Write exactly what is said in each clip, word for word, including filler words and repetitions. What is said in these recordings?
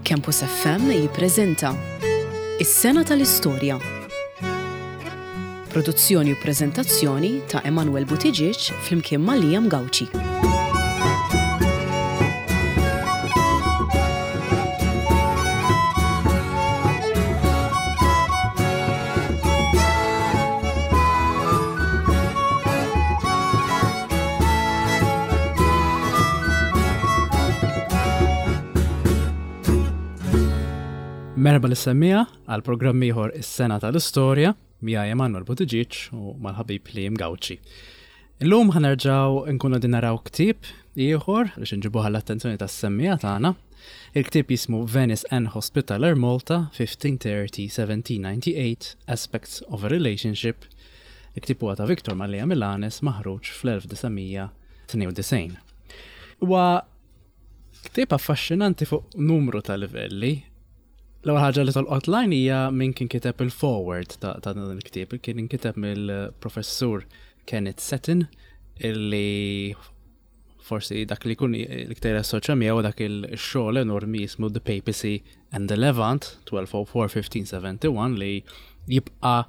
Campus F M jippreżenta Is-Sena tal-Istorja. Produzzjoni u preżentazzjoni ta' Emanuel Buttigieg flimkien ma' Liam Gauci. Merħba lis-semmiegħa għal programm ieħor, Is-Sena tal-Istorja, miegħi Emanuel Buttigieg u mal-ħabib Liam Gauci. Illum ħa nerġgħu nkunu din naraw ktieb ieħor biex nġibuh l-attenzjoni tas-semmiegħa tagħna. Il-ktieb jismu Venice and Hospitaller Malta fifteen thirty seventeen ninety-eight Aspects of a Relationship. Il-ktieb huwa ta' Victor Mallia Milanes, maħruġ fl-elf disa' mija tnejn u disgħin. Huwa ktieb affaxxinanti fuq numru ta' livelli. L-ewwel ħaġa li tolqot l-għajn hija min kien kiteb il-foreword ta' ta' dan il-ktieb. Kien inkiteb mill-professur Kenneth Setton, illi forsi dak li jkun l-iktar assoċja miegħu dak il-xogħol enormi jismu The Papacy and the Levant twelve oh four fifteen seventy-one, li jibqa'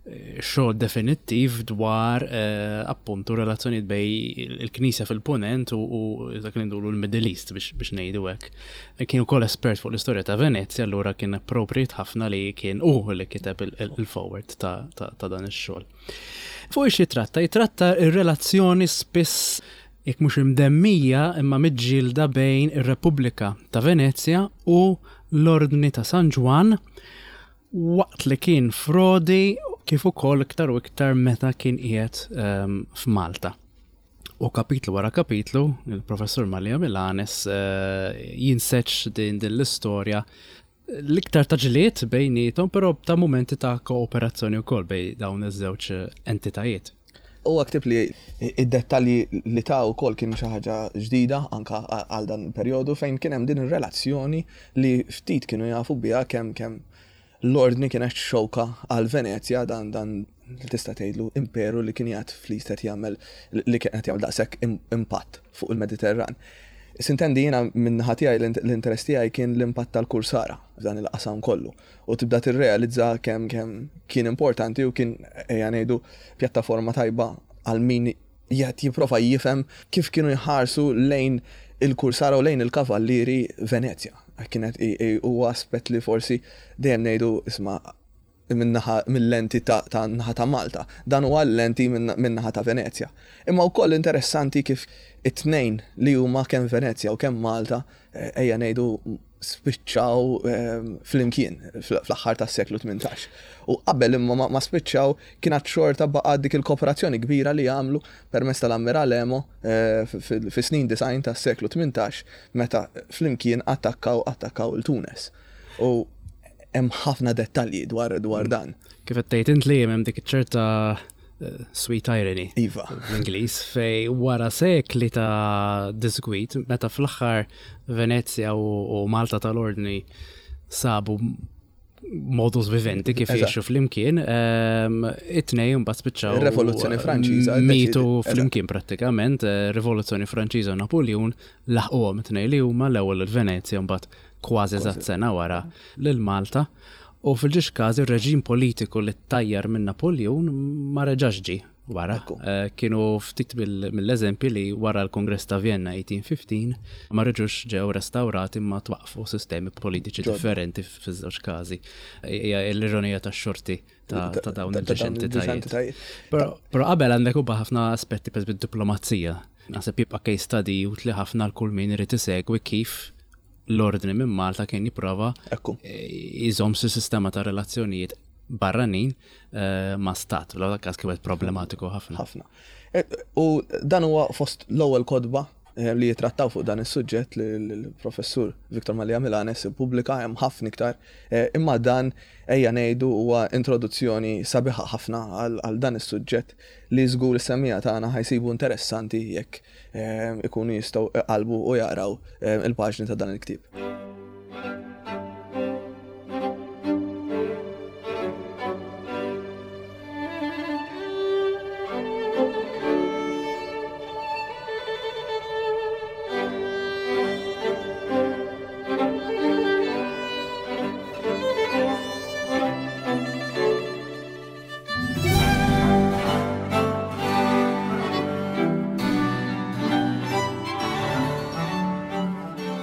eh, xogħol definittiv dwar eh, appuntu relazzjonijiet bejn il-Knisja fil-Punent u, u dak li ngħidulu l-Middle East, biex, biex ngħidu hekk. Kien ukoll espert fuq l-istorja ta' Venezja, allura kien appropriate ħafna li kien hu li kiteb il-foreword ta', ta, ta' dan ix-xogħol. Fuq ix jitratta? Jitratta ir-relazzjoni spiss, jekk mhux imdemmija, imma miġġielda bejn ir-Repubblika ta' Venezja u l-Ordni ta' San Ġwann waqt li kien f'Rodi, kif ukoll iktar u iktar meta kien qiegħed um, f'Malta. U kapitlu wara kapitlu, il-professur Mallia Milanes uh, jinseġ din din l-istorja l-iktar ta' ġlied bejnietom, però ta' momenti ta' kooperazzjoni wkoll bejn dawn iż-żewġ entitajiet. Huwa ktieb li id-dettalji li ta' wkoll kien xi ħaġa ġdida anka għal dan il-perjodu, fejn kien hemm din ir-relazzjoni li ftit kienu jafu biha, kemm kemm l-ordni kienet xewka għal Venezja, dan dan li tista' tgħidlu imperu li kien jgħid fl-istet jagħmel li kien qed jagħmel daqshekk impatt fuq il-Mediterran. Sintendi, jiena min-naħa tiegħi l-interess tiegħi kien l-impatt tal-kursara f'dan il-qasam kollu. U tibda tirrealizza kemm kemm kien importanti u kien, ejja ngħidu, pjattaforma tajba għal min jgħid jipprova jifhem kif kienu jħarsu lejn il-kursara u lejn il-kavallieri Venezja. Kienet huwa aspett li forsi dejjem ngħidu, isma', mill-lenti ta' naħa ta' Malta. Dan huwa l-lenti min-naħa ta' Venezja. Imma wkoll interessanti kif it-tnejn li huma, kemm Venezja u kemm Malta, eh, ejja ngħidu, spiċċaw eh, flimkien fl-aħħar tas-seklu tmintax. U qabel imma ma spiċċaw, kienet xorta baqa' dik il-kooperazzjoni kbira li għamlu permezz tal-Ammiral Emo eh, fis-snin disgħin tas-seklu tmintax, meta flimkien attakkaw attakkaw il-Tunes. U hemm ħafna dettalji dwar dwar mm. dan. Kif qed tgħid int li hemm dik ċerta eh, sweet irony Iva. l-Ingliż, fej wara sekli ta' disgwit, meta fl-aħħar Venezja u Malta tal-Ordni sabu modus vivendi kif jgħixu flimkien, ehm, it-tnejn mbagħad spiċċaw. Ir-Rivoluzzjoni Franċiża. Mitu flimkien prattikament, eh, Rivoluzzjoni Franċiża u Napoleon laħquhom it-tnejn li huma, l-ewwel il-Venezja, mbagħad kważi eżatt sena wara lil Malta. U fil-żewġ każi ir-reġim politiku li tajjar minn Napoleon ma reġax ġie wara. Eh, kienu ftit mill-eżempji li wara l-Kongress ta' Vienna eighteen fifteen ma reġux ġew restaurati, ma twaqfu sistemi politiċi differenti fiż-żewġ każi. Hija l-ironija tax-xorti ta' dawn il-żewġ entitajiet. Però qabel għandek ukoll ħafna aspetti, per diplomazija. Naħseb jibqa' case study utli ħafna l kull min irid isegwi kif l-ordni minn Malta kien jipprova jżomm sistema ta' relazzjonijiet barranin eh, ma' stat. L każ kienet problematiku ħafna. Ħafna. E, u dan huwa fost l-ewwel kotba eh, li jitrattaw fuq dan is-suġġett li l-professur Victor Mallia Milanes ippubblika. Hemm ħafna iktar, eh, imma dan, ejja ngħidu, huwa introduzzjoni sabiħa ħafna għal dan is-suġġett li żgur is-semmiegħa tagħna ħa jsibu interessanti jekk ikunu jistgħu qalbu u jaqraw il-paġni ta' dan il-ktieb.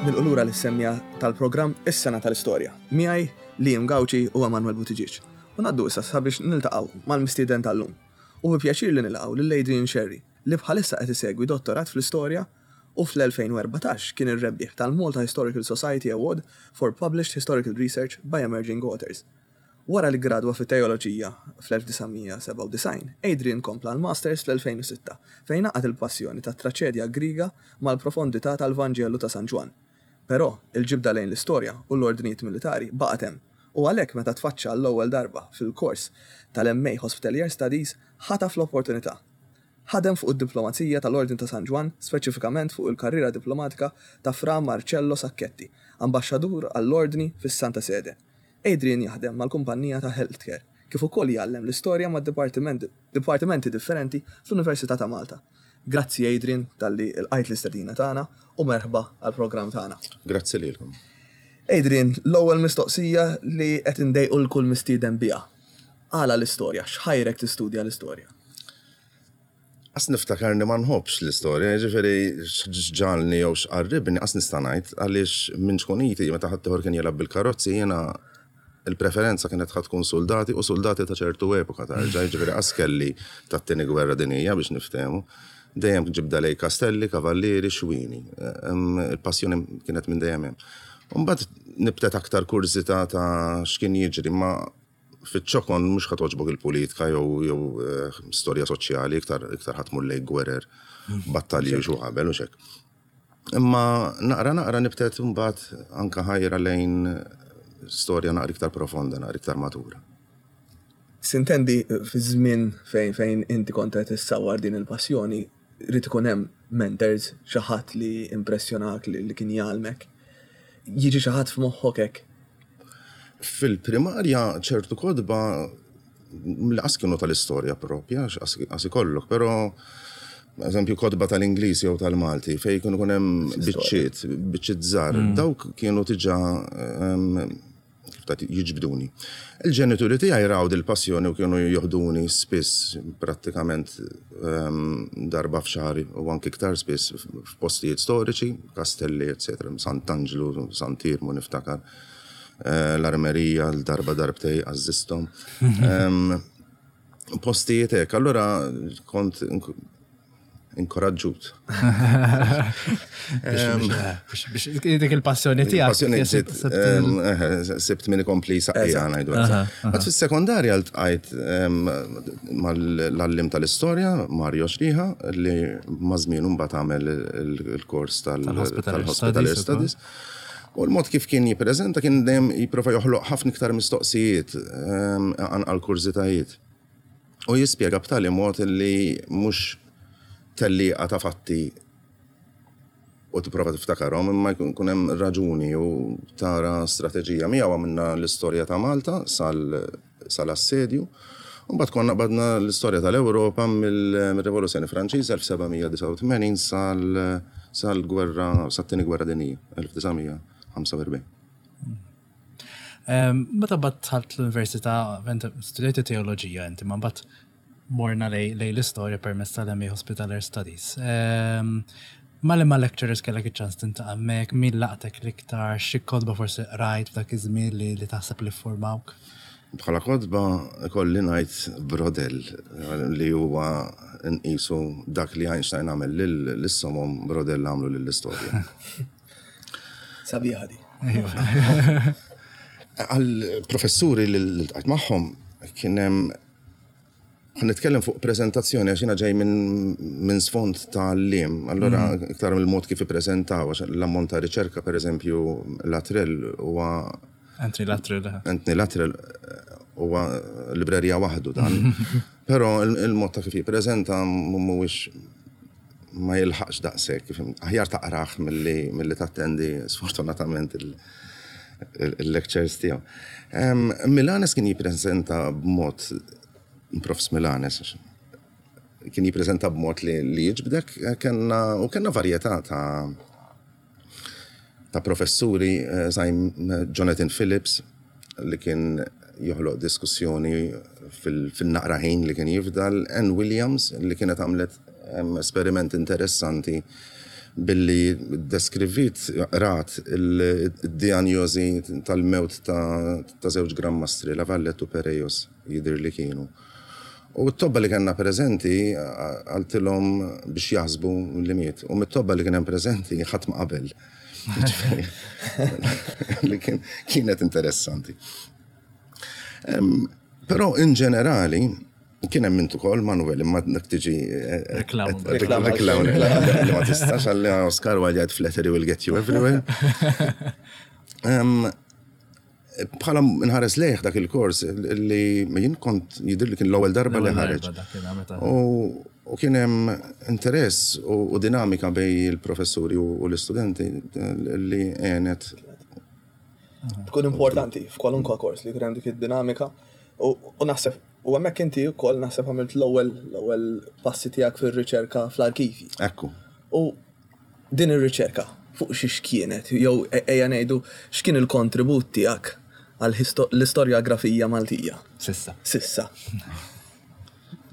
Nilqgħu lura lis-semmiegħa tal-programm Is-Sena tal-Istorja. Miegħi Liam Gauci u Emanuel Buttigieg. U ngħaddu issa sabiex niltaqgħu mal-mistieden tal-lum. U bi pjaċir li nilqgħu lil Adrian Scerri, li bħalissa qed isegwi dottorat fl-istorja u fl-elfejn u erbatax kien ir-rebbieħ tal-Malta Historical Society Award for Published Historical Research by Emerging Authors. Wara li gradwa fit-teoloġija fl-elf disa' mija sebgħa u disgħin, Adrian kompla l-Masters fl-elfejn u sitta, fejn għaqqad il-passjoni tat-traċedja Griega mal-profondità tal-Vanġelu ta' San Ġwann. Però il-ġibda lejn l-istorja u l-ordnijiet militari baqgħet hemm, u għalhekk meta tfaċċa l-ewwel darba fil-kors tal-M A Hospitalier Studies, ħataf l-opportunità. Ħadem fuq id-diplomazija tal-Ordni ta' San Ġwann, speċifikament fuq il-karriera diplomatika ta' Fra Marcello Sacchetti, ambaxxadur għall-Ordni fis-Santa Sede. Adrian jaħdem mal-kumpanija ta' healthcare, kif ukoll jgħallem l-istorja ma' dipartimenti differenti fl-Università ta' Malta. Grazzi, Adrian, talli lqajt l-istedina tagħna u merħba għall-programm tagħna. Grazzi lilkom. Adrian, l-ewwel mistoqsija li qed indejqu lil kull mistieden biha. Għala l-istorja? X'ħajrek tistudja l-istorja? Qas niftakarni ma nħobbx l-istorja, ġifieri x'ġagħalni jew x'qarribni qas nista' ngħid, għaliex minn ċkuniti, meta ħadd kien jilgħab bil-karozzi, jiena il-preferenza kienet ħa tkun soldati u soldati ta' ċertu epoka tarġa, ġifieri qas kelli tat-tieni gwerra dinija biex niftehmu. Dejjem ġibda lej kastelli, kavallieri, xwini. Il-passjoni kienet minn dejjem hemm. Mbagħad nibtet aktar kurżità ta' x'kien jiġri, ma fiċ-ċokon mhux ħa togħġbok il-politika jew jew eh, storja soċjali, iktar iktar ħa tmur lej gwerer, battalji u xu qabel u xek. Imma naqra naqra nibtet mbagħad anka ħajra lejn storja naqra iktar profonda, naqra iktar matura. Sintendi, fi żmien fejn fejn inti kont qed issawar din il-passjoni, rrid ikun hemm mentors, xi ħadd li impressjonak, li, li kien jgħallmek. Jiġi xi ħadd f'moħħok hekk? Fil-primarja ċertu kotba li qas kienu tal-istorja propja, qas ikollok, però eżempju kotba tal-Ingliż jew tal-Malti fejn kienu kun hemm biċċiet, biċċiet żgħar, dawk kienu diġà em, kif ta' jiġbduni. Il-ġenituri tiegħi raw dil-passjoni u kienu joħduni spiss, prattikament em, darba f'xahar u anki iktar spiss, f'postijiet storiċi, kastelli, eccetera, Sant'Angelo, Sant'Irmu niftakar, eh, l-Armerija, l-darba darbtej għażżizthom. Em, Postijiet hekk, allura kont ink- inkoraġġut. Biex biex dik il-passjoni tiegħek. Passjoni sibt- ġiet, sibt em, eh, sibt min ikompli saqqija, ngħidu. Għad fis-sekondarja ltqajt em, mal-għalliem tal-istorja, Mario Xriħa, li maż-żmien mbagħad għamel il- il-kors tal- Tal-Hospitalier tal-Hospitalier Studies. Studies. U l-mod kif kien jippreżenta kien dejjem jipprova joħloq ħafna iktar mistoqsijiet, em, anqal kurżitajiet. U jispjega b'tali mod li mhux tellieqa ta' fatti u tipprova tiftakarhom, imma jkun jkun hemm raġuni u tara strateġija. Miegħu għamilna l-istorja ta' Malta sal sal-assedju. U mbagħad konna qbadna l-istorja tal-Ewropa mill-Rivoluzzjoni Franċiża elf seba' mija disgħa u tmenin sal sal-gwerra, sat-tieni gwerra dinjija elf disa' mija ħamsa u erbgħin. Em, Meta mbagħad dħalt l-università, inti studjajt teoloġija inti, ma mbagħad morna lej lej l-istorja permezz tal-M A Hospitalier Studies. Em, Ma li ma lecturers kellek iċ-ċans tiltaqa' hemmhekk, min laqtek l-iktar, xi kotba forsi qrajt f'dak iż-żmien li li taħseb li formawk? Bħala kotba kolli ngħid Braudel, li huwa nqisu dak li Einstein għamel lis-somom, Braudel għamlu lill-istorja. Sabiħa di. Għal professuri li ltqajt magħhom kien hemm, ħa nitkellem fuq prezentazzjoni għax jiena ġej minn min sfond ta' għalliem, allura iktar mill-mod kif ippreżentaw, għax l-ammont ta' riċerka, per eżempju, Luttrell huwa Anthony Luttrell. Anthony Luttrell eh, huwa librerija waħdu dan. Però il- il-mod ta' kif jippreżenta mhuwiex, ma jilħaqx daqshekk, kif aħjar taqrah milli milli tattendi sfortunatament il- il- il-lectures tiegħu. Em, Milanes kien jippreżenta b'mod, Profs Milanes kien jippreżenta b'mod li, li jiġbdek, kellna u kellna varjetà ta' ta' professuri, eh, Zajm Jonathan Phillips, li kien joħloq diskussjoni fil- fil-naqra ħin li kien jifdal, Ann Williams, li kienet għamlet em, esperiment interessanti Billi deskrivit rat il-diagnosi tal-mewt ta' ta' żewġ Gran Mastri, La Valette u Perellós, jidher li kienu. U t-tobba li kellna preżenti qaltilhom biex jaħsbu li miet. U mit-tobba li kien hemm preżenti ħadd ma qabel. Ġifieri, li kien kienet interessanti. Em, Però in ġenerali, kien hemm int ukoll Manuel, imma dak tiġi eh, Reklam. eh, reklam, reklam, li ma tistax għalli Oscar Wilde jgħid "Flattery will get you everywhere." Em, Bħala nħares lejh dak il-kors li jien kont jidher li kien l-ewwel darba li L-ewwel ħareġ. Darba dak kien meta- U u kien hemm interess u u dinamika bejn il-professuri u u l-istudenti li għenet. Tkun importanti f'kwalunkwa kors li jkun hemm dik id-dinamika u u naħseb u hemmhekk inti wkoll naħseb għamilt l-ewwel l-ewwel passi tiegħek fir-riċerka fl-arkivi. Ekku. U din ir-riċerka fuq xiex kienet, jew e- ejja ngħidu x'kien il-kontribut tiegħek għal l-istorjografija Maltija Sissa. Sissa?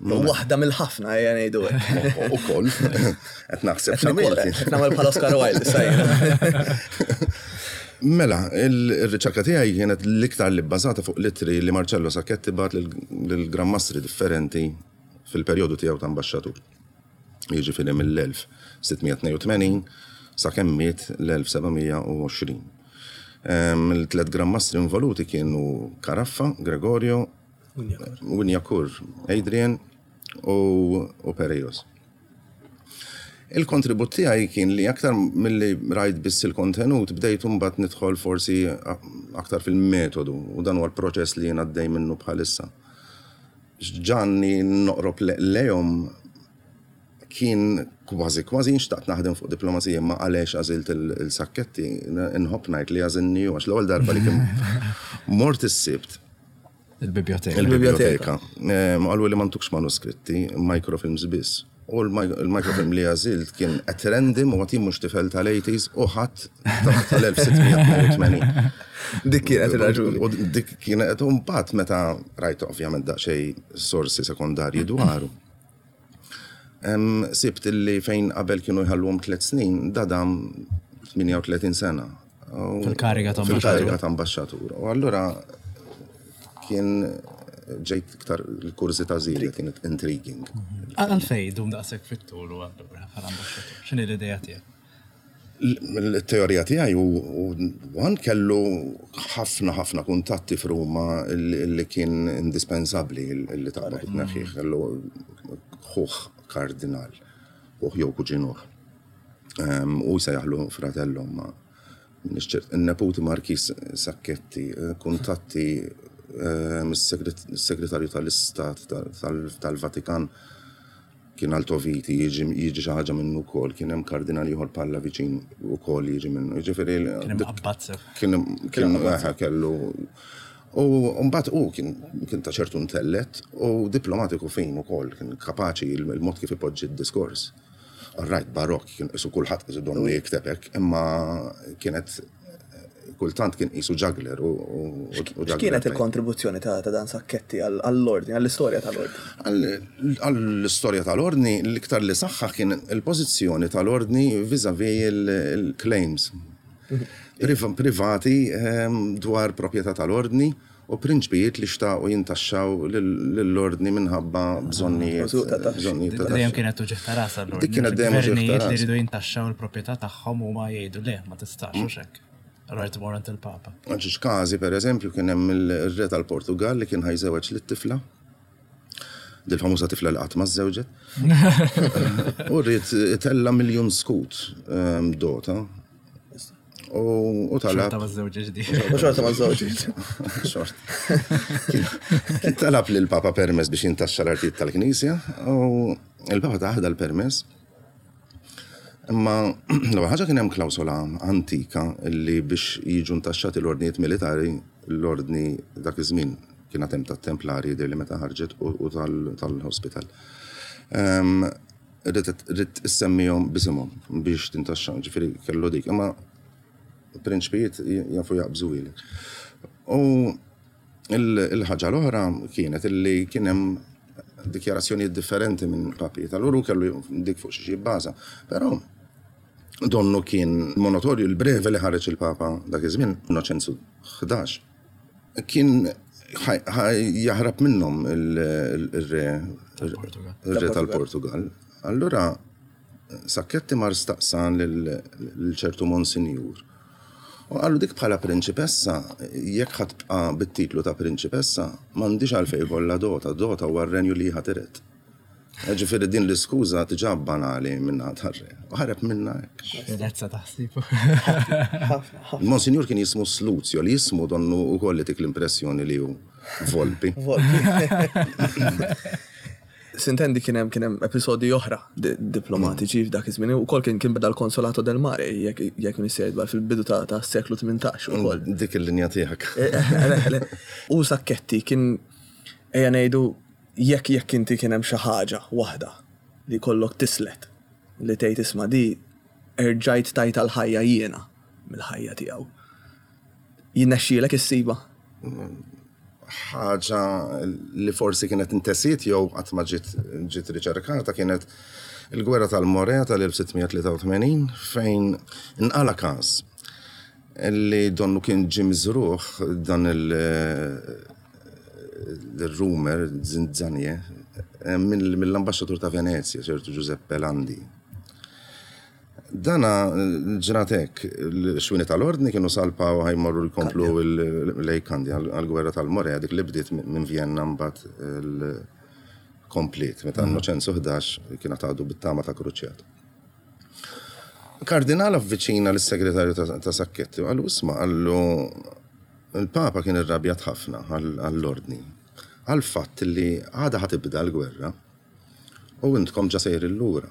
Waħda mill-ħafna, ejja ngħidu hekk. U koll, qed naħseb Qed nikol- x'għamilt. Qed nagħmel bħal Oscar Wilde issa jiena. Mela, il-riċerka tiegħi kienet l-iktar li bbażata fuq l-ittri li Marcello Sacchetti bagħat lil-Gran Mastri differenti fil-perjodu tiegħu ta' ambaxxatur. Jiġifieri mill-elf sitt mija tnejn u tmenin sa kemm miet l-elf seba' mija u għoxrin. Il-tlet Gran Mastri involuti kienu Caraffa, Gregorio, Wignacourt, Adrian u, u Perellós. Il-kontribut tiegħi kien li aktar milli rajt biss il-kontenut, bdejt mbagħad nidħol forsi aktar fil-metodu u dan huwa l-proċess li jien għaddej minnu bħalissa. Ġanni noqrob le- lejhom kien kważi kważi nxtaqt naħdem fuq diplomazija, ma għaliex għażilt il-Sacchetti, nħobb ngħid li għażilni għax l-ewwel darba li kien mort is-Sibt Il-biblioteka. Il-biblioteka. Ma qalu li m'għandukx manuskritti, microfilms biss. U l-microfilm li għażilt kien at random u għatim mhux tifel tal-eighties u ħadd tal-elf sitt mija tnejn u tmenin. Dik kienet ir-raġuni. U dik kienet, u mbagħad meta rajt ovvjament daqsxejn sorsi sekondarji dwaru. Em, Sibt illi fejn qabel kienu jħalluhom tliet snin, dadam tmienja u tletin sena. U- Fil-kariga ta' Fil-kariga ta' ambaxxatur. U allura kien ġejt iktar il-kurżità żiedet, kienet intriguing. Għalfejn dum daqshekk fit-tul u allura bħala ambaxxatur? X'inhi l-idea tiegħek? Il-teorija tiegħi u għan kellu ħafna ħafna kuntatti f'Ruma li kien indispensabbli li taqbad tneħħih. Kellu ħuħ kardinal, ħuħ jew kuġinuh. U jsejjaħlu fratello, ma il-neputi Markis Sacchetti, kuntatti mis-segretarju tal-Istat tal-Vatikan kien Altoviti, jiġi jiġi xi ħaġa minnu wkoll, kien hemm kardinal ieħor Pallavicin ukoll jiġi minnu. Jiġifieri Kien hemm abbazza. kien kien eħe, kellu. U mbagħad u kien kien ta' ċertu intellett u diplomatiku fejn ukoll kien kapaċi il-mod kif ipoġġi d-diskors. Right, barok, kien isu kulħadd isu donnu jikteb hekk, imma kienet kultant kien isu juggler u u- u juggler X'kienet tajjeb. il-kontribuzzjoni ta' ta' dan Sacchetti għall-ordni, għall-istorja tal-ordni? Għall-istorja tal-ordni, l-iktar li saħħa kien il-pożizzjoni tal-ordni vis-a-vis il-claims Priv- privati ehm, dwar proprjetà tal-ordni u prinċpijiet li xtaqu jintaxxaw lill-ordni minħabba bżonnijiet. Użu ta' taxxi. Bżonnijiet ta' Dejjem taxxi. kienet uġigħ ta' ras allura. Dik kienet dejjem uġigħ ta' Gvernijiet li ras. jridu jintaxxaw il-proprjetà tagħhom huma jgħidu le, ma tistax u xek. Allura tmur għand il-Papa. Għax każi, per eżempju, kien hemm il-re tal-Portugal li kien ħa jżewweġ lit-tifla. Dil-famuża tifla li qatt ma żżewġet. U rrid tella miljun skut ehm, dota. U u talab. Xorta ma żewġ ġdid. U xorta ma żewġ. Xort. Kien kien talab lil papa permess biex jintaxxa l-artijiet tal-Knisja u il-Papa tah dal-permess. Imma l-ewwel ħaġa kien hemm klawsola antika li biex jiġu ntaxxati l-ordnijiet militari, l-ordni dak iż-żmien kien hemm tat-Templari jidher li meta ħarġet u u tal- tal-hospital. Ehm, Rrid rrid issemmihom b'isimhom biex tintaxxa, ġifieri kellu dik. Imma prinċpijiet jafu jaqbżu ilek. U il- il-ħaġa l-oħra kienet illi kien hemm dikjarazzjonijiet differenti minn papi. Tal-uru kellu dik fuq xi bbaża. Però Donnu kien monotorju l-breve li ħareġ il-Papa dak iż-żmien, Innoċenzu ħdax. Kien jaħrab minnhom il-re il-re tal-Portugal. Allura Sacchetti mar staqsan lil ċertu Monsinjur. U qallu dik bħala prinċipessa, jekk ħa tibqa' bit-titlu ta' prinċipessa, m'għandix għalfejn kollha dota, dota huwa r-renju li ħa tiret. Ġifieri din l-iskuża diġà banali minna tar-re. U ħareb minna hekk. Finezza taħsib. Monsinjur kien jismu Sluzio, li jismu donnu wkoll li tik l-impressjoni li hu Volpi. Sintendi kien hemm kien hemm episodi oħra diplomatiċi f'dak iż-żmien ukoll kien kien beda l-Consolato del Mare jekk jekk m'iniex fil-bidu ta' seklu tmintax ukoll. Dik il-linja tiegħek. U Sacchetti kien ejja ngħidu jekk jekk inti kien hemm xi ħaġa waħda li kollok tislet li tgħid isma' di erġajt tajt l-ħajja jiena mill-ħajja tiegħu. Jinnexxielek issiba? Ħaġa li forsi kienet intesiet jew qatt ma ġiet ġiet riċerkata kienet il-gwerra tal-Morea tal-elf sitt mija tlieta u tmenin fejn inqala każ li donnu kien ġie miżrugħ dan il-rumor zinzanje mill-ambaxxatur ta' Venezia, ċertu Giuseppe Landi. Dana ġratek, l-xwini tal-ordni kienu salpa u ħa jmorru jkomplu lejn Kandja għal-gwerra tal-Morea, dik li bdiet minn Vienna mbagħad komplet, meta Innoċenzu ħdax kien għadu bit-tama ta' kruċjat. Kardinal avviċina l-segretarju ta' Sacchetti, qallu isma', qallu il-Papa kien irrabjat ħafna għall-ordni, għal-fatt li għada ħa tibda l-gwerra u intkom ġa sejrin lura.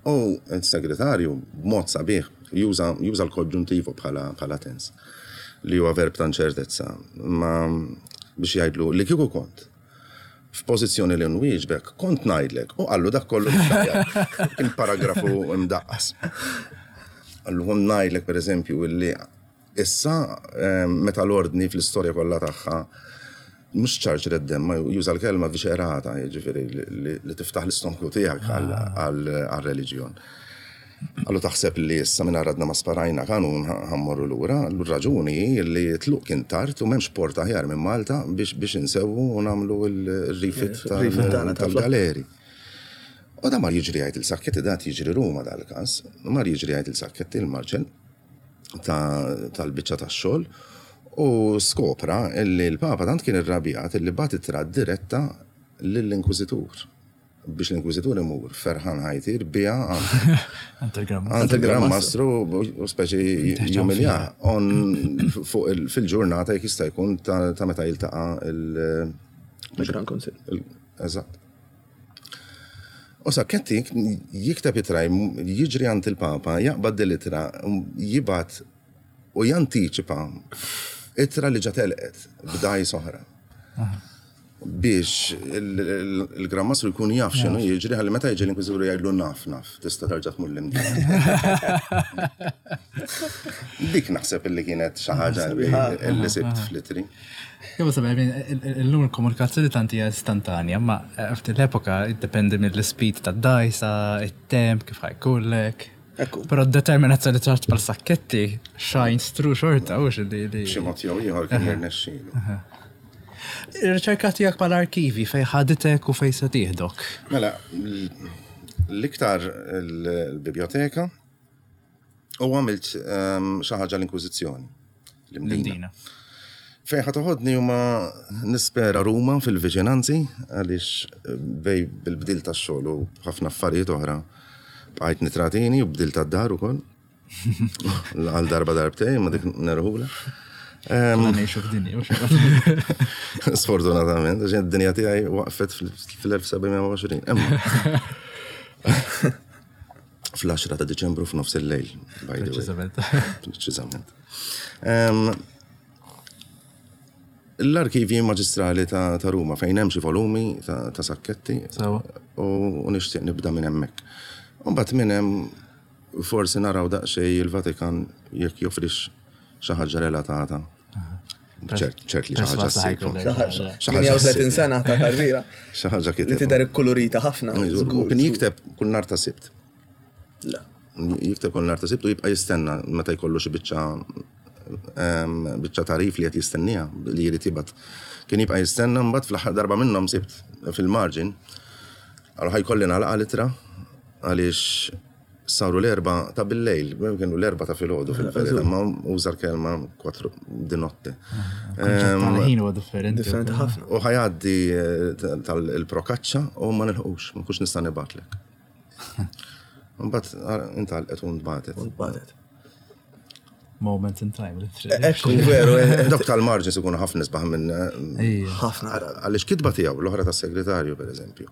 U il-segretarju, b'mod sabiħ, juża l-konġuntivo bħala tens, li huwa verb ta' inċertezza, ma biex jgħidlu li kieku kont f'pożizzjoni li nwieġbek, kont ngħidlek, u qallu dak kollu kien paragrafu imdaqqas. Qallu kont ngħidlek per eżempju li issa meta l-ordni fl-istorja kollha tagħha mhux ċarċret demm, ma juża l-kelma viscerata, jiġifieri li tiftaħ l-istonku tiegħek għal-reliġjon. Qallu taħseb li issa minn għadna ma sparajna kanun ħa mmorru lura, l-raġuni li tluq kien tard u m'hemmx port aħjar minn Malta biex insewwu u nagħmlu l-refit tal-galeri. U da mar jiġri jgħid il-Sacchetti, dat jiġri Ruma dal-każ, mar jiġri jgħid il-Sacchetti il-Marċel tal-biċċa tax-xogħol u skopra li l-Papa tant kien irrabjat li bagħat ittra diretta lill-Inkwiżitur biex l-Inkwiżitur imur ferħan ħajtir bija għand il-Gran Mastru u speċi jumilja fuq fil-ġurnata jekk jista' jkun ta' meta jiltaqa' il-Gran Kunsill. Eżatt. U Sacchetti jikteb ittra, jiġri għand il-Papa, jaqbad dil-ittra, jibgħat u jantiċipa ittra li ġa telqet b'daj soħra. Biex il-Gran Mastru jkun jaf x'inhu jiġri, ħalli meta jiġi l-Inkwiżitur jgħidlu naf naf, tista' terġa' tmur l-Imdina. Dik naħseb illi kienet xi ħaġa li sibt fl-itri. Jew sabiħ, illum il-komunikazzjoni tant hija istantanja, ma ftit l-epoka iddependi mill-speed tad-dajsa, it-temp, kif ħajkullek. Però d-determinazzjoni ċart bħal Sacchetti shines through xorta, u xi li. Xi mod jew ieħor kien jirnexxielu. Ir-riċerka tiegħek bħal arkivi fej ħaditek u fej se tieħdok? Mela, l-iktar l-biblioteka u għamilt xi ħaġa l-Inkwiżizzjoni. L-Imdina. Fejn ħa toħodni huma nispera Ruma fil-viċinanzi għaliex bej bil-bdil tax-xogħol u ħafna affarijiet oħra bqajt nitratini u bdil tad-dar ukoll. Għal darba darbtejn ma dik nerħula. Ngħixu f'dinja, u xi. Sfortunatament, għax id-dinja tiegħi waqfet fil-elf seba' mija u għoxrin. Imma fl-għaxra ta' Diċembru f'nofs il-lejl, by the way. Preċiżament. Preċiżament. L-arkivi maġistrali ta' Ruma fejn hemm xi volumi ta' Sacchetti u nixtieq nibda minn hemmhekk. U mbagħad minn hemm forsi naraw daqsxejn il-Vatikan jekk joffrix xi ħaġa relatata. Ċert li xi ħaġa ssib. Xi ħaġa tletin sena ta' karriera. Xi ħaġa kiteb. Li tidher ikkulurita ħafna. U kien jikteb kull nhar ta' Sibt. Jikteb kull nhar ta' Sibt u jibqa' jistenna meta jkollu xi biċċa em, biċċa tarif li qed jistenniha li jrid jibgħat. Kien jibqa' jistenna, mbagħad fl-aħħar darba minnhom sibt fil-margin. Għallu ħa jkolli nagħlaqha l-ittra għaliex saru l-erba ta' bil-lejl, kienu l-erba ta' filgħodu fil-verità, ma uża l-kelma quattro di notte. Tal-ħin huwa differenti. Differenti ħafna. U ħa jgħaddi eh, tal-prokaċċa u ma nilħqux, ma kux nista' nibgħatlek. Mbagħad intalqet u ntbatet. Batet. Moment in time, literally. Ekku, veru, eh, Dawk tal-margins ikunu ħafna isbaħ minn eh, Ejja. ħafna. għaliex kitba tiegħu l-oħra tas-segretarju pereżempju.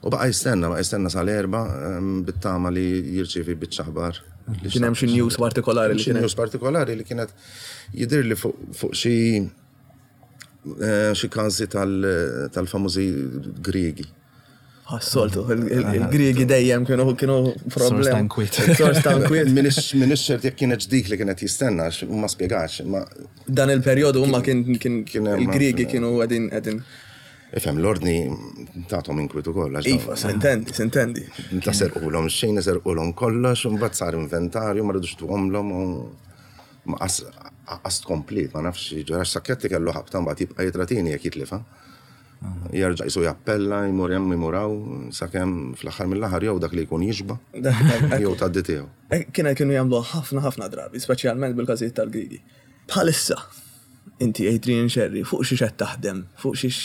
U baqa' jistenna, baqa' jistenna sal-erba em, bit-tama li jirċievi biċċa aħbar. Li Kien hemm xi news partikolari li xi kien news partikolari li kienet jidher li fuq fuq xi eh, xi każi tal- tal-famużi Griegi. Għas-soltu, il-Griegi dejjem kienu kienu Source ta' problem. inkwiet. Source ta' inkwiet. Minix ċert jekk kienet dik li kienet jistenna, għax ma spjegax, ma Dan il-perjodu huma kien kien Kien hemm il-Griegi ħafna. kienu qegħdin qegħdin. Ifhem, l-ordni tagħhom inkwiet ukoll. għax Iva, s'intendi, s'intendi. Ta' serqulhom xejn, serqulhom kollox, u mbagħad sar inventarju, ma rridux tuhomlhom u ma qas qas komplet, ma nafx ġara Sacchetti kellu ħabta mbagħad jibqa' jitratini jekk jitlifa. Jerġa' jisu jappella, jmur hemm jmur hawn, sakemm fl-aħħar mill-aħħar jew dak li jkun jixba' jew tgħaddi tiegħu. Kiena kienu jagħmlu ħafna ħafna drabi, speċjalment bil-każijiet tal-Griegi. Bħalissa, inti Adrian Scerri, fuq xiex qed taħdem, fuq xiex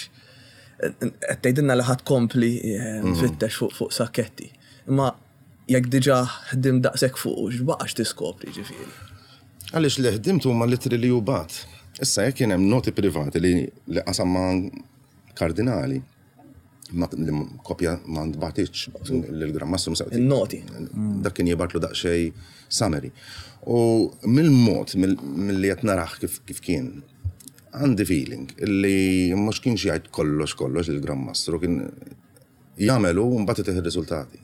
qed tgħidilna li ħadd kompli eh, tfittex fuq fuq Sacchetti. Imma jekk diġà ħdim daqshekk fuq, x'baqax tiskopri ġifieri. Għaliex li ħdimt huma l-ittri li bagħat. Issa jekk kien hemm noti privati li li qasam ma' kardinali, ma li kopja ma ntbatitx lill-Gran Mastru. Il-noti. Dak kien jibgħatlu daqsxejn summary. U mill-mod, mill-li qed narah kif kif kien, għandi feeling illi mhux kienx jgħid kollox kollox lill-Gran Mastru, kien jagħmelu u mbagħad itih ir-riżultati.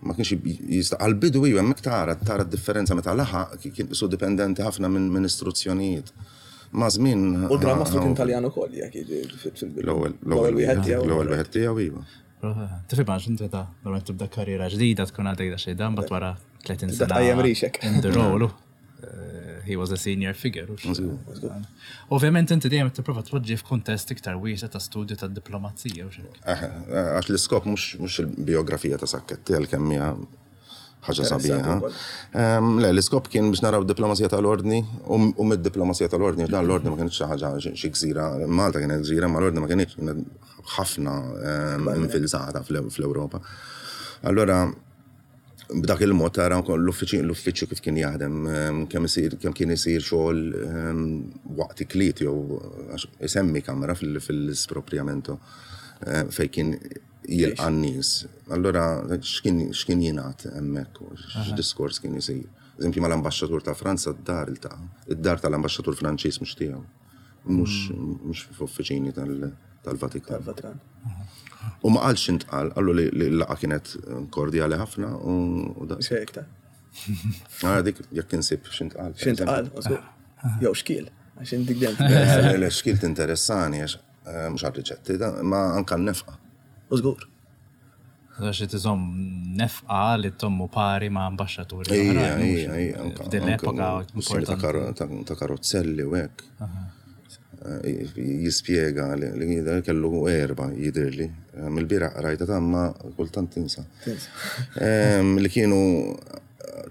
Ma kienx jista' għal-bidu iva hemmhekk tara tara d-differenza meta laħaq kien su dipendenti ħafna minn minn istruzzjonijiet. Ma żmien U l-Gran Mastru kien Taljan ukoll jekk jiġi fil-bidu. L-ewwel L-ewwel wieħed tiegħu. L-ewwel wieħed tiegħu iva. Tifhem għax inti ta' normalment tibda karriera ġdida tkun għadek da xejn dan, bat wara tletin Tibda sena. tqajjem rixek. In the role. Eh, He was a senior figure. hux? Ovvjament inti dejjem tipprova tpoġġi f'kuntest iktar wiesa' ta' studju ta' diplomazija u xejn. Eh, Għax l-iskop mhux mhux il-biografija ta' Sacchetti għal kemm hija ħaġa sabiħa. ukoll. Em, Le, l-iskop kien biex naraw diplomazija tal-ordni u u mid-diplomazija tal-ordni, dan l-ordni ma kienx xi ħaġa xi gżira, Malta kienet gżira, ma l-ordni ma kienx kienet ħafna em, infilzata fl- fl-Ewropa. Allora, b'dak il-mod tara wkoll l-uffiċċju l-uffiċċju kif kien jaħdem, em, kemm isir kemm kien isir xogħol em, waqt ikliet jew għax isemmi kamra fil- fil-spropriamento eh, fejn kien jilqa' n-nies. Allora x'kien x'kien jingħad hemmhekk u x'diskors kien isir. Eżempju mal-ambaxxatur ta' Franza d-dar iltaqa', id-dar tal-ambaxxatur Franċiż mhux tiegħu. Mhux mhux f'uffiċini tal- tal-Vatikan. Tal-Vatikan. U ma qalx intqal, qallu li li l-laqgħa kienet kordjali ħafna u u da. Xejn iktar. Għara dik jekk insib x'intqal. X'intqal, żgur. Jew xkiel, għax inti dejjem. Le, le, xkiel tinteressani għax eh, mhux għar-riċetti, da, ma anka n-nefqa. U żgur. Għax tiżomm nefqa li tommu pari ma' ambaxxaturi. Ija, oħrajn, mhux? ija, ija. anka- F'din anka l-epoka kwistjoni ta' importanti. karo- ta' ta' karozzelli u hekk. Eh, Jispjega li li jidher kellu erba jidirli. Eh, Mill-bieraħ rajta ta' ma kultant tinsa. Tinsa. Em, Li kienu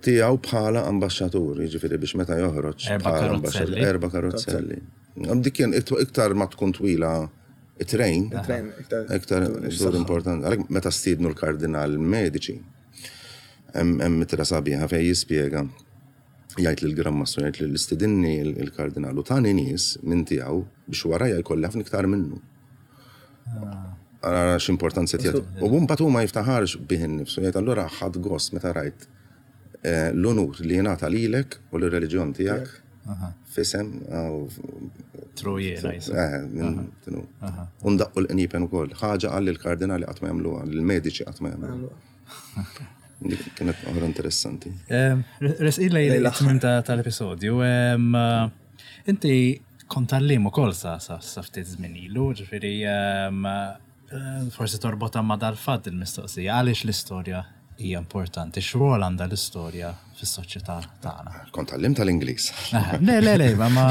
tiegħu bħala ambaxxatur, jiġifieri biex meta joħroġ Erba' bħala karozzelli. ambaxxatur, Erba' karozzelli. Dik kien iktar ma tkun twila it-train, It-train, iktar- iktar żgur importanti. Għalhekk meta stiednu l-kardinal Medici, hemm hemm ittra sabiħa fejn jispjega jgħid lil Gran Mastru jgħid li l-istidinni il-kardinal u tani nies minn tiegħu biex warajja jkolli ħafna iktar minnu. Ara x'importanza tiegħu. U mbagħad hu ma jiftaħarx bih innifsu jgħid allura ħadd gost meta rajt eh, l-onur li jingħata lilek u l-reliġjon tiegħek fisem True jiena jisem. Eh, minn tinu. U ndaqqu l-qniepen ukoll. Ħaġa għal il-kardinali qatt ma jagħmluha, l-mediċi qatt ma jagħmluha. Dik kienet oħra interessanti. Resqin lejn it-tmiem ta' tal-episodju. em, eh, Inti kont għalliem ukoll sa sa sa ftit żmien ilu, ġifieri em, eh, forsi torbota ma' dal-fatt il-mistoqsija. Għaliex l-istorja hija importanti? X'rwol għandha l-istorja fis-soċjetà tagħna? Kont tgħallimt tal-Ingliż. Le, le, le, ma ma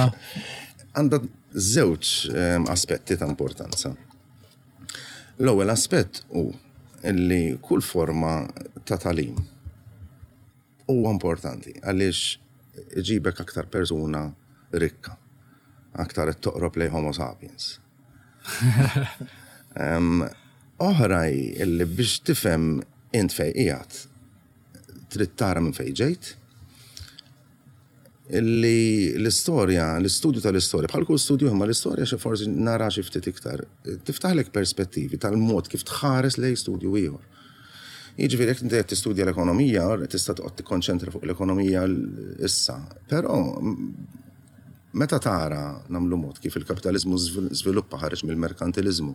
Għandha żewġ ehm, aspetti ta' importanza. L-ewwel aspett hu illi kull forma ta' tagħlim huwa importanti għaliex iġibek aktar persuna rikka, aktar qed toqrob lejn Homo sapiens. Em, Oħra hi illi biex tifhem int fejn qiegħed trid tara minn fejn ġejt, illi l-istorja, l-istudju tal-istorja, bħal kull studju imma l-istorja xi forsi nara xi ftit iktar, tiftaħlek perspettivi tal-mod kif tħares lejn studju ieħor. Jiġifieri jekk inti qed tistudja l-ekonomija, tista' toqgħod tikkonċentra fuq l-ekonomija l- issa, però m- meta tara nagħmlu mod kif il-kapitalizmu żvil- żviluppa ħareġ mill-merkantilizmu,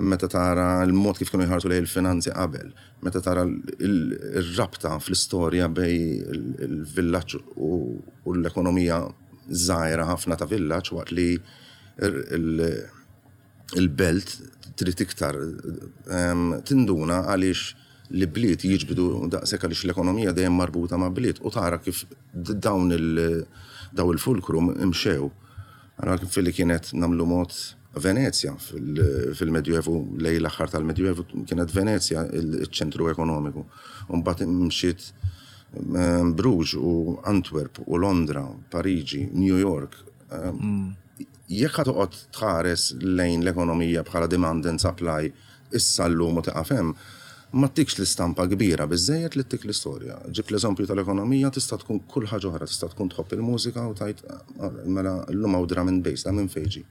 meta tara l-mod kif kienu jħarsu lejn il-finanzi qabel, meta tara l- il-rabta fl-istorja bejn il- il-villaġġ u u l-ekonomija żgħira ħafna ta' villaġġ waqt li il- il- il-belt trid iktar em, tinduna għaliex li bliet jiġbdu daqshekk għaliex l-ekonomija dejjem marbuta ma' bliet u tara kif d- dawn il daw il-fulcrum imxew. Ara kif li kienet nagħmlu mod Venezja fil- fil-Medjuevu lejn l-aħħar tal-Medjuevu kienet Venezja il-ċentru ekonomiku. U mbagħad imxiet em, Bruges u Antwerp u Londra, Pariġi, New York. Em, Jekk ħa toqgħod tħares lejn l-ekonomija bħala demand and supply issa llum u tieqaf hemm, ma ttikx l-istampa kbira biżejjed li ttik l-istorja. Ġib l-eżempju tal-ekonomija tista' tkun kull ħaġa oħra, tista' tkun tħobb il-mużika u tgħid "Ah, mela llum hawn drum and bass, da minn fejn ġie."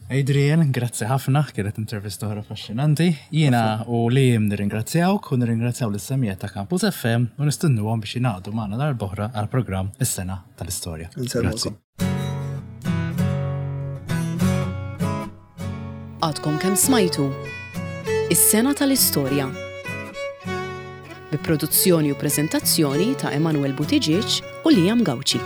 Adrian, grazzi ħafna, kienet intervista oħra affaxxinanti. Jiena u Liam nirringrazzjawk u nirringrazzjaw lis-semmiegħa ta' Campus F M u nistennuhom biex jingħaqdu magħna darb'oħra għal-programm Is-Sena tal-Istorja. Grazzi. Insellmulkom. Għadkom kemm smajtu Is-Sena tal-Istorja. Bi produzzjoni u preżentazzjoni ta' Emanuel Buttigieg u Liam Gauci.